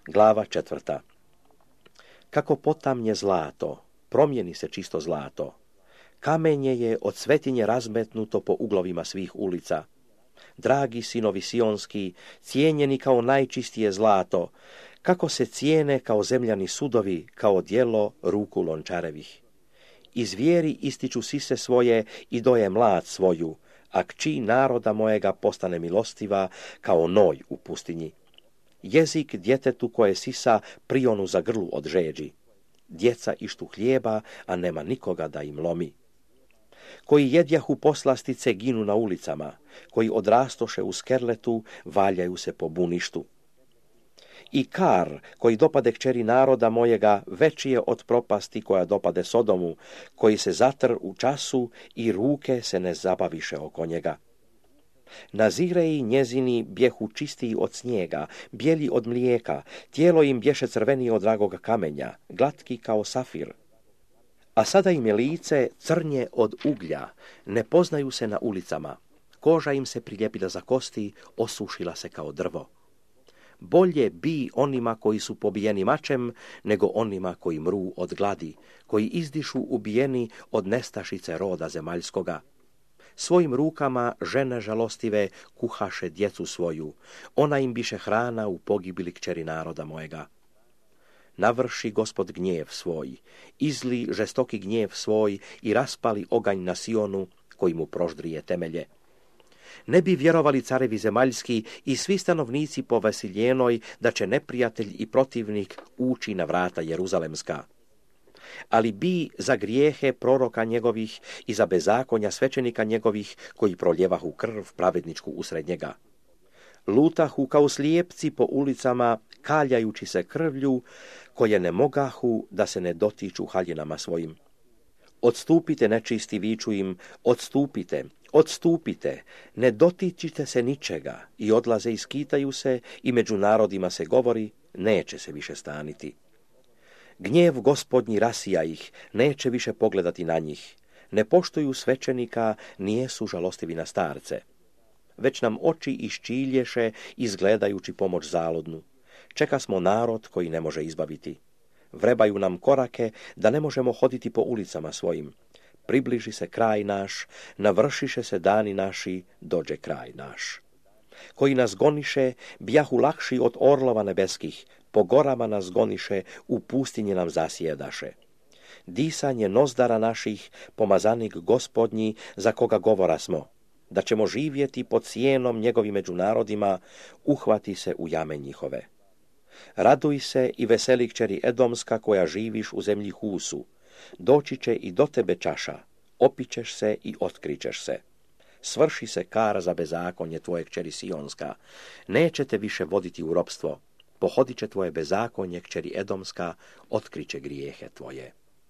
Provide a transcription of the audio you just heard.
Glava 4. Kako potamnje zlato, promijeni se čisto zlato. Kamenje je od svetinje razmetnuto po uglovima svih ulica. Dragi sinovi sionski, cijenjeni kao najčistije zlato, kako se cijene kao zemljani sudovi, kao djelo ruku lončarevih. Iz vjeri ističu sise svoje i doje mlad svoju, a kći naroda mojega postane milostiva kao noj u pustinji. Jezik djetetu koje sisa prionu za grlu od žeđi. Djeca ištu hljeba, a nema nikoga da im lomi. Koji jedjahu poslastice ginu na ulicama, koji odrastoše u skerletu, valjaju se po buništu. I kar, koji dopade kćeri naroda mojega, veći je od propasti koja dopade Sodomu, koji se zatr u času i ruke se ne zabaviše oko njega. Nazireji njezini bjehu čistiji od snijega, bijeli od mlijeka, tijelo im bješe crvenije od dragoga kamenja, glatki kao safir. A sada im je lice crnje od uglja, ne poznaju se na ulicama, koža im se priljepila za kosti, osušila se kao drvo. Bolje bi onima koji su pobijeni mačem, nego onima koji mru od gladi, koji izdišu ubijeni od nestašice roda zemaljskoga. Svojim rukama žene žalostive kuhaše djecu svoju, ona im biše hrana u pogibili kćeri naroda mojega. Navrši Gospod gnjev svoj, izli žestoki gnjev svoj i raspali oganj na Sionu, koji mu proždrije temelje. Ne bi vjerovali carevi zemaljski i svi stanovnici po Vasiljenoj da će neprijatelj i protivnik ući na vrata Jeruzalemska. Ali bi za grijehe proroka njegovih i za bezakonja svećenika njegovih koji proljevahu krv pravedničku usred njega. Lutahu kao slijepci po ulicama, kaljajući se krvlju, koje ne mogahu da se ne dotiču haljinama svojim. Odstupite, nečisti, viču im, odstupite, odstupite, ne dotičite se ničega, i odlaze i skitaju se, i među narodima se govori, neće se više staniti. Gnjev Gospodnji rasija ih, neće više pogledati na njih. Ne poštuju svećenika, nijesu žalostivi na starce. Već nam oči iščilješe, izgledajući pomoć zaludnu. Čeka smo narod koji ne može izbaviti. Vrebaju nam korake da ne možemo hoditi po ulicama svojim. Približi se kraj naš, navršiše se dani naši, dođe kraj naš. Koji nas goniše, bjahu lakši od orlova nebeskih, po gorama nas goniše, u pustinji nam zasjedaše. Disanje nozdara naših, pomazanik Gospodnji, za koga govora smo, da ćemo živjeti pod sjenom njegovim među narodima, uhvati se u jame njihove. Raduj se i veseli kćeri Edomska koja živiš u zemlji Husu, doći će i do tebe čaša, opićeš se i otkrićeš se. Svrši se kara za bezakonje tvoje kćeri Sionska, neće te više voditi u ropstvo, pohodit će tvoje bezakonje kćeri Edomska, otkriće grijehe tvoje.